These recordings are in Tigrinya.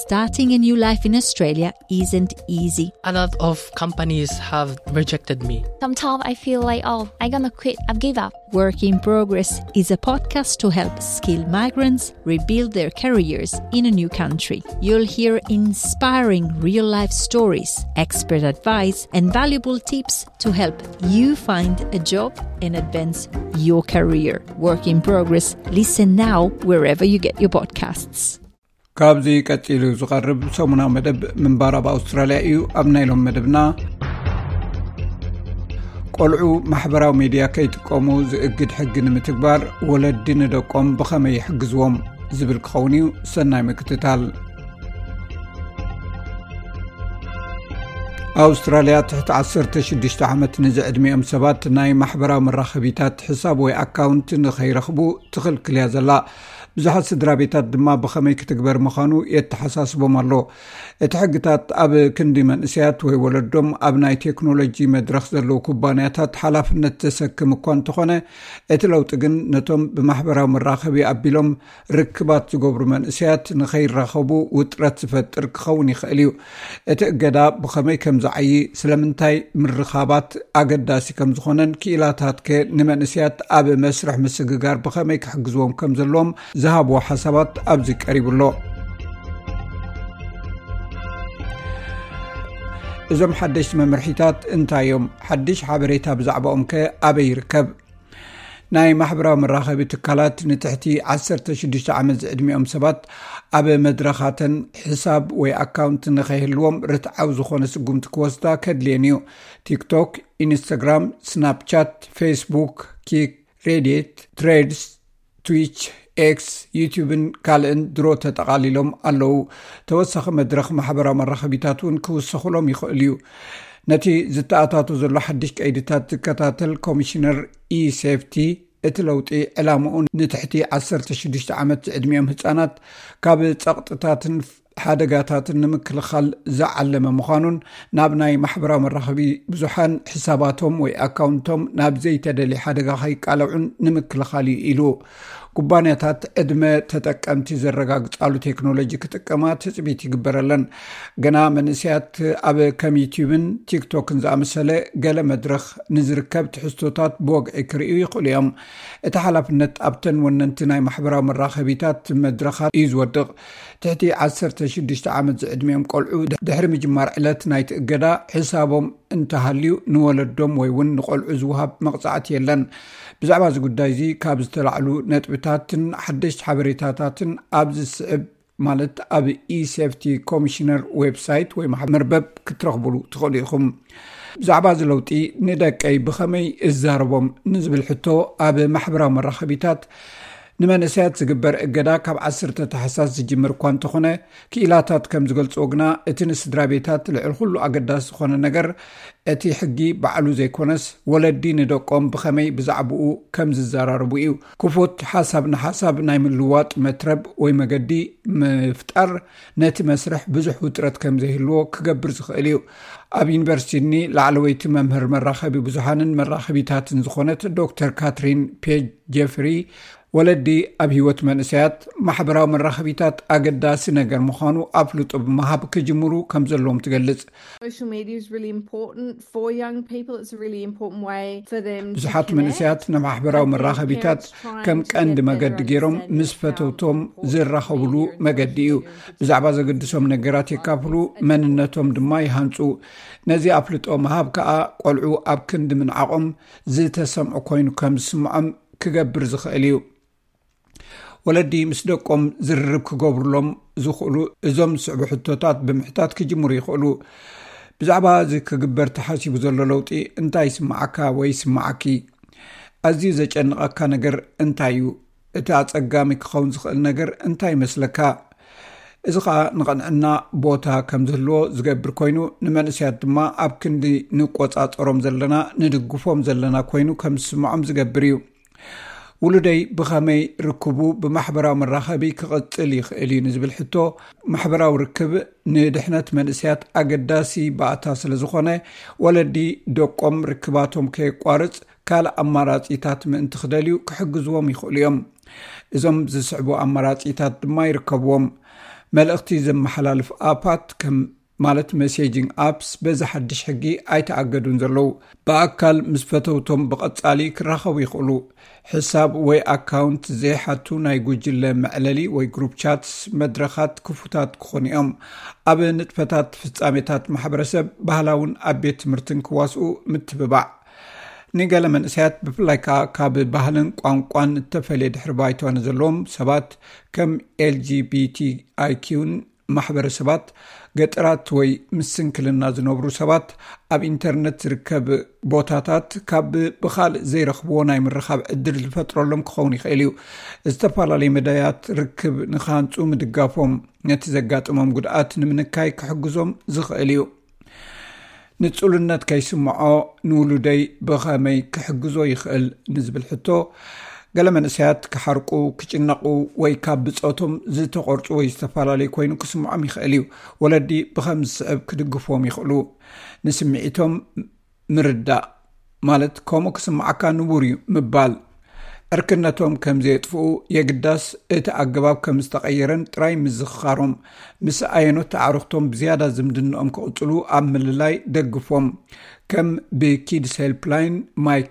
Starting a new life in Australia isn't easy. A lot of companies have rejected me. Sometimes I feel like, oh, I'm gonna quit, I've give up. Work in Progress is a podcast to help skilled migrants rebuild their careers in a new country. You'll hear inspiring real life stories, expert advice, and valuable tips to help you find a job and advance your career. Work in Progress. Listen now wherever you get your podcasts. ካብዚ ቀጺሉ ዝቐርብ ሰሙናዊ መደብ ምንባር ኣብ ኣውስትራልያ እዩ። ኣብ ናይ ሎም መደብና፣ ቆልዑ ማሕበራዊ ሜድያ ከይጥቀሙ ዝእግድ ሕጊ ንምትግባር ወለዲ ንደቆም ብኸመይ ይሕግዝዎም ዝብል ክኸውን እዩ። ሰናይ ምክትታል። ኣውስትራልያ ትሕቲ ዓሰርተ ሽዱሽተ ዓመት ንዝዕድሚኦም ሰባት ናይ ማሕበራዊ መራኸቢታት ሕሳብ ወይ ኣካውንት ንኸይረኽቡ ትኽልክል እያ ዘላ። ብዙሓት ስድራ ቤታት ድማ ብኸመይ ክትግበር ምዃኑ የተሓሳስቦም ኣሎ። እቲ ሕግታት ኣብ ክንዲ መንእሰያት ወይ ወለዶም ኣብ ናይ ቴክኖሎጂ መድረኽ ዘለዉ ኩባንያታት ሓላፍነት ዘሰክም እኳ እንተኾነ፣ እቲ ለውጢ ግን ነቶም ብማሕበራዊ መራኸቢ ኣቢሎም ርክባት ዝገብሩ መንእሰያት ንኸይራኸቡ ውጥረት ዝፈጥር ክኸውን ይኽእል እዩ። እቲ እገዳ ብኸመይ ከም ዝዓዪ፣ ስለምንታይ ምርኻባት ኣገዳሲ ከም ዝኾነን ክኢላታትከ ንመንእሰያት ኣብ መስርሕ ምስግጋር ብኸመይ ክሕግዝዎም ከም ዘለዎም ዝሃብዎ ሓሳባት ኣብዚ ቀሪቡ ኣሎ። እዞም ሓደሽቲ መምርሒታት እንታይ እዮም? ሓድሽ ሓበሬታ ብዛዕባኦም ከ ኣበይ ይርከብ? ናይ ማሕበራዊ መራኸቢ ትካላት ንትሕቲ ዓሰርተ ሽዱሽተ ዓመት ዝዕድሚኦም ሰባት ኣብ መድረኻተን ሕሳብ ወይ ኣካውንት ንኸይህልዎም ርትዓዊ ዝኾነ ስጉምቲ ክወስዳ ከድልየን እዩ። ቲክቶክ፣ ኢንስታግራም፣ ስናፕቻት፣ ፌስቡክ፣ ኪክ፣ ሬዲት፣ ትሬድስ፣ ትዊች፣ ኤክስ፣ ዩቲዩብን ካልእን ድሮ ተጠቓሊሎም ኣለዉ። ተወሳኺ መድረኽ ማሕበራዊ መራኸቢታት እውን ክውሰኹሎም ይኽእል እዩ። ነቲ ዝተኣታቶ ዘሎ ሓድሽ ቀይድታት ዝከታተል ኮሚሽነር ኢሴፍቲ፣ እቲ ለውጢ ዕላምኡ ንትሕቲ ዓሰርተ ሽዱሽተ ዓመት ዝዕድሚኦም ህጻናት ካብ ጸቕጥታትን ሓደጋታትን ንምክልኻል ዝዓለመ ምዃኑን፣ ናብ ናይ ማሕበራዊ መራኸቢ ብዙሓን ሕሳባቶም ወይ ኣካውንቶም ናብ ዘይተደልየ ሓደጋ ከይቃለዑን ንምክልኻል እዩ ኢሉ። ኩባንያታት ዕድመ ተጠቀምቲ ዘረጋግጻሉ ቴክኖሎጂ ክጥቀማ ትጽቢት ይግበረለን። ገና መንእሰያት ኣብ ከም ዩቲዩብን ቲክቶክን ዝኣመሰለ ገለ መድረኽ ንዝርከብ ትሕዝቶታት ብወግዒ ክርእዩ ይኽእሉ እዮም። እቲ ሓላፍነት ኣብተን ወነንቲ ናይ ማሕበራዊ መራኸቢታት መድረኻት እዩ ዝወድቕ። ትሕቲ ዓሰርተ ሽዱሽተ ዓመት ዝዕድሚኦም ቆልዑ ድሕሪ ምጅማር ዕለት ናይቲ እገዳ፣ ሕሳቦም እንተሃልዩ ንወለዶም ወይ እውን ንቆልዑ ዝወሃብ መቕጻዕቲ የለን። ብዛዕባ እዚ ጉዳይ እዚ ካብ ዝተላዕሉ ነጥብታትን ሓደሽቲ ሓበሬታታትን ኣብዚ ዝስዕብ፣ ማለት ኣብ ኢሴፍቲ ኮሚሽነር ዌብሳይት ወይ መርበብ ክትረኽቡሉ ትኽእሉ ኢኹም። ብዛዕባ እዚ ለውጢ ንደቀይ ብኸመይ እዛረቦም ንዝብል ሕቶ፣ ኣብ ማሕበራዊ መራኸቢታት ንመንእሰያት ዝግበር እገዳ ካብ ዓሰርተ ታሕሳስ ዝጅምር እኳ እንተኾነ፣ ክኢላታት ከም ዝገልጽዎ ግና፣ እቲ ንስድራ ቤታት ልዕሊ ኩሉ ኣገዳሲ ዝኾነ ነገር፣ እቲ ሕጊ ባዕሉ ዘይኮነስ፣ ወለዲ ንደቆም ብኸመይ ብዛዕባኡ ከም ዝዘራረቡ እዩ። ክፉት ሓሳብ ንሓሳብ ናይ ምልውዋጥ መትረብ ወይ መገዲ ምፍጣር ነቲ መስርሕ ብዙሕ ውጥረት ከም ዘይህልዎ ክገብር ዝኽእል እዩ። ኣብ ዩኒቨርሲቲ ሲድኒ ላዕለወይቲ መምህር መራኸቢ ብዙሓንን መራኸቢታትን ዝኾነት ዶክተር ካትሪን ፔጅ ጀፍሪ፣ ወለዲ ኣብ ህይወት መንእሰያት ማሕበራዊ መራኸቢታት ኣገዳሲ ነገር ምዃኑ ኣፍልጦ ብምሃብ ክጅምሩ ከም ዘለዎም ትገልጽ። Social media is really important for young people. It's a really important way for them to ብዙሓት connect. መንእሰያት ንማሕበራዊ I think መራኸቢታት parents trying ከም to ቀንዲ get መገዲ better ገይሮም understanding ምስ of ፈተውቶም how ዝራኸብሉ familiar መገዲ እዩ። Is ብዛዕባ ዘገድሶም ነገራት የካፍሉ፣ መንነቶም ድማ ይሃንጹ። ነዚ ኣፍልጦ ምሃብ ከኣ ቆልዑ ኣብ ክንዲ ምንዓቖም ዝተሰምዑ ኮይኑ ከም ዝስምዖም ክገብር ዝኽእል እዩ። ወለዲ ምስ ደቆም ዝርርብ ክገብሩሎም ዝኽእሉ እዞም ዝስዕቡ ሕቶታት ብምሕታት ክጅምሩ ይኽእሉ። ብዛዕባ እዚ ክግበር ተሓሲቡ ዘሎ ለውጢ እንታይ ይስምዓካ ወይ ይስምዓኪ? ኣዝዩ ዘጨንቐካ ነገር እንታይ እዩ? እቲ ኣጸጋሚ ክኸውን ዝኽእል ነገር እንታይ ይመስለካ? እዚ ኸኣ ንቐንዕና ቦታ ከም ዝህልዎ ዝገብር ኮይኑ፣ ንመንእሰያት ድማ ኣብ ክንዲ ንቆጻጸሮም ዘለና፣ ንድግፎም ዘለና ኮይኑ ከም ዝስምዖም ዝገብር እዩ። ውሉደይ ብኸመይ ርክቡ ብማሕበራዊ መራኸቢ ክቕጽል ይኽእል እዩ ንዝብል ሕቶ፣ ማሕበራዊ ርክብ ንድሕነት መንእሰያት ኣገዳሲ ባእታ ስለ ዝኾነ፣ ወለዲ ደቆም ርክባቶም ከየቋርጽ ካልእ ኣማራጺታት ምእንቲ ክደልዩ ክሕግዝዎም ይኽእሉ እዮም። እዞም ዝስዕቡ ኣማራጺታት ድማ ይርከብዎም። መልእኽቲ ዘመሓላልፍ ኣፓት ከም ማለት መሴጂንግ ኣፕስ በዚ ሓድሽ ሕጊ ኣይተኣገዱን ዘለዉ። ብኣካል ምስ ፈተውቶም ብቐጻሊ ክራኸቡ ይኽእሉ። ሕሳብ ወይ ኣካውንት ዘይሓቱ ናይ ጉጅለ መዕለሊ ወይ ግሩፕ ቻትስ መድረኻት ክፉታት ክኾኑ እዮም። ኣብ ንጥፈታት ፍጻሜታት ማሕበረሰብ ባህላውን ኣብ ቤት ትምህርትን ክዋስኡ ምትብባዕ። ንገለ መንእሰያት ብፍላይ ከኣ ካብ ባህልን ቋንቋን እተፈልየ ድሕሪ ባይታ ንዘለዎም ሰባት ከም ኤል ጂ ቢ ቲ ኣይ ኪውን ማሕበረሰባት ገጠራት ወይ ምስ ስንክልና ዝነብሩ ሰባት ኣብ ኢንተርነት ዝርከብ ቦታታት ካብ ብኻልእ ዘይረኽብዎ ናይ ምርኻብ ዕድል ዝፈጥረሎም ክኸውን ይኽእል እዩ። ዝተፈላለዩ መዳያት ርክብ ንክሃንጹ ምድጋፎም ነቲ ዘጋጥሞም ጉድኣት ንምንካይ ክሕግዞም ዝኽእል እዩ። ንጹልነት ከይስምዖ ንውሉደይ ብኸመይ ክሕግዞ ይኽእል ንዝብል ሕቶ፣ ገለ መንእሰያት ክሓርቁ፣ ክጭነቑ ወይ ካብ ብጾቶም ዝተቖርጹ ወይ ዝተፈላለዩ ኮይኑ ክስምዖም ይኽእል እዩ። ወለዲ ብኸም ዝስዕብ ክድግፍዎም ይኽእሉ። ንስምዒቶም ምርዳእ ማለት ከምኡ ክስምዓካ ንቡር እዩ ምባል። ዕርክነቶም ከም ዘየጥፍኡ የግዳስ እቲ ኣገባብ ከም ዝተቐየረን ጥራይ ምዝኽኻሮም፣ ምስ ኣየኖት ኣዕሩኽቶም ብዝያዳ ዝምድንኦም ክቕጽሉ ኣብ ምልላይ ደግፎም። ከም ብኪድስ ሄልፕላይን፣ ማይ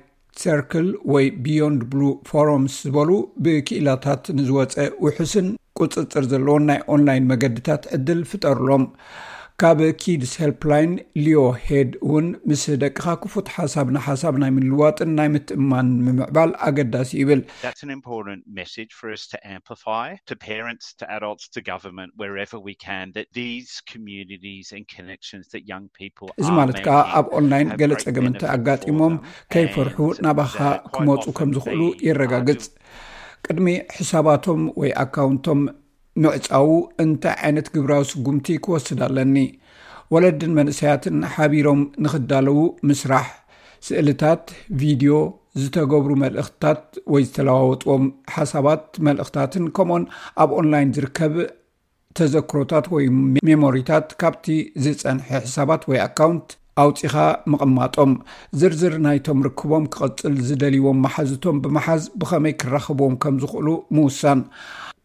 ሰርክል ወይ ቢዮንድ ብሉ ፎረምስ ዝበሉ ብክኢላታት ንዝወጸ ውሑስን ቁጽጽር ዘለዎን ናይ ኦንላይን መገድታት ዕድል ፍጠርሎም። ካብ ኪድስ ሄልፕላይን ሊዮ ሄድ እውን ምስ ደቅኻ ክፉት ሓሳብ ንሓሳብ ናይ ምልዋጥን ናይ ምትእማን ምምዕባል ኣገዳሲ ይብል። That's an important message for us to amplify to parents, to adults, to government, wherever we can, that these communities and connections that young people እዚ are ማለት ከኣ making ኣብ ኦንላይን have ገለ great ጸገም benefit እንተኣጋጢሞም for them ከይፈርሑ and ናባኻ that quite ክመጹ often ከም ዝኽእሉ they የረጋግጽ። are ቅድሚ ሕሳባቶም ወይ ኣካውንቶም ምዕጻዉ እንታይ ዓይነት ግብራዊ ስጉምቲ ክወስድ ኣለኒ? ወለድን መንእሰያትን ሓቢሮም ንኽዳለዉ ምስራሕ፣ ስእልታት፣ ቪድዮ፣ ዝተገብሩ መልእኽትታት ወይ ዝተለዋወጥዎም ሓሳባት፣ መልእኽታትን ከምኡን ኣብ ኦንላይን ዝርከብ ተዘክሮታት ወይ ሜሞሪታት ካብቲ ዝጸንሐ ሕሳባት ወይ ኣካውንት ኣውጺኻ ምቕማጦም። ዝርዝር ናይቶም ርክቦም ክቕጽል ዝደልይዎም መሓዝቶም ብምሓዝ ብኸመይ ክራኸብዎም ከም ዝኽእሉ ምውሳን።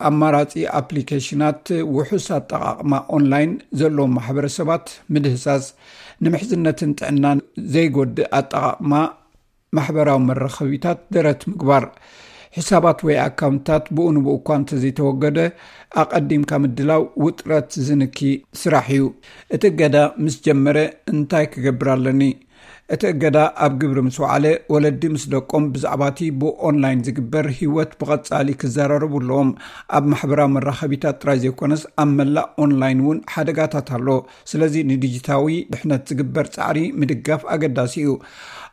ኣማራጺ ኣፕሊኬሽናት ውሑስ ኣጠቓቕማ ኦንላይን ዘለዎም ማሕበረሰባት ምድህሳስ። ንምሕዝነትን ጥዕናን ዘይጎድእ ኣጠቓቕማ ማሕበራዊ መራኸቢታት ደረት ምግባር። ሕሳባት ወይ ኣካውንትታት ብኡ ንብኡ እኳ እንተዘይተወገደ ኣቐዲምካ ምድላው ውጥረት ዝንኪ ስራሕ እዩ። እቲ እገዳ ምስ ጀመረ እንታይ ክገብር ኣለኒ? እቲ እገዳ ኣብ ግብሪ ምስ ወዓለ ወለዲ ምስ ደቆም ብዛዕባቲ ብኦንላይን ዝግበር ህይወት ብቐጻሊ ክዘራረቡ ኣለዎም። ኣብ ማሕበራዊ መራኸቢታት ጥራይ ዘይኮነስ ኣብ መላእ ኦንላይን እውን ሓደጋታት ኣሎ። ስለዚ ንዲጂታዊ ድሕነት ዝግበር ጻዕሪ ምድጋፍ ኣገዳሲ እዩ።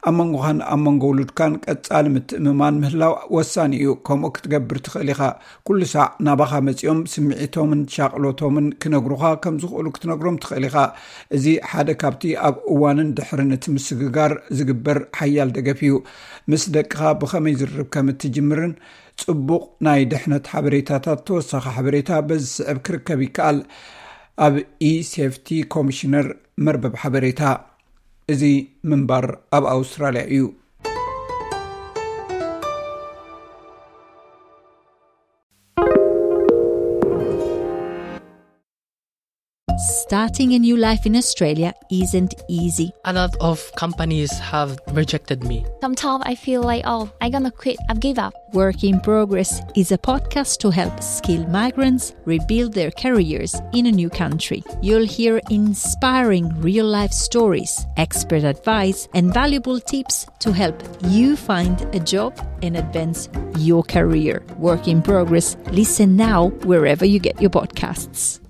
ኣብ መንጎኻን ኣብ መንጎ ውሉድካን ቀጻሊ ምትእምማን ምህላው ወሳኒ እዩ። ከምኡ ክትገብር ትኽእል ኢኻ። ኩሉ ሳዕ ናባኻ መጺኦም ስምዒቶምን ሻቕሎቶምን ክነግሩኻ ከም ዝኽእሉ ክትነግሮም ትኽእል ኢኻ። እዚ ሓደ ካብቲ ኣብ እዋንን ድሕርን እቲ ምስግጋር ዝግበር ሓያል ደገፍ እዩ። ምስ ደቅኻ ብኸመይ ዝርርብ ከም እትጅምርን ጽቡቕ ናይ ድሕነት ሓበሬታታት ተወሳኺ ሓበሬታ በዚ ዝስዕብ ክርከብ ይከኣል። ኣብ ኢ ሴፍቲ ኮሚሽነር መርበብ ሓበሬታ። እዚ ምንባር ኣብ ኣውስትራልያ እዩ። Starting a new life in Australia isn't easy. A lot of companies have rejected me. Sometimes I feel like, oh, I'm gonna quit. I've give up. Work in Progress is a podcast to help skilled migrants rebuild their careers in a new country. You'll hear inspiring real life stories, expert advice, and valuable tips to help you find a job and advance your career. Work in Progress. Listen now wherever you get your podcasts.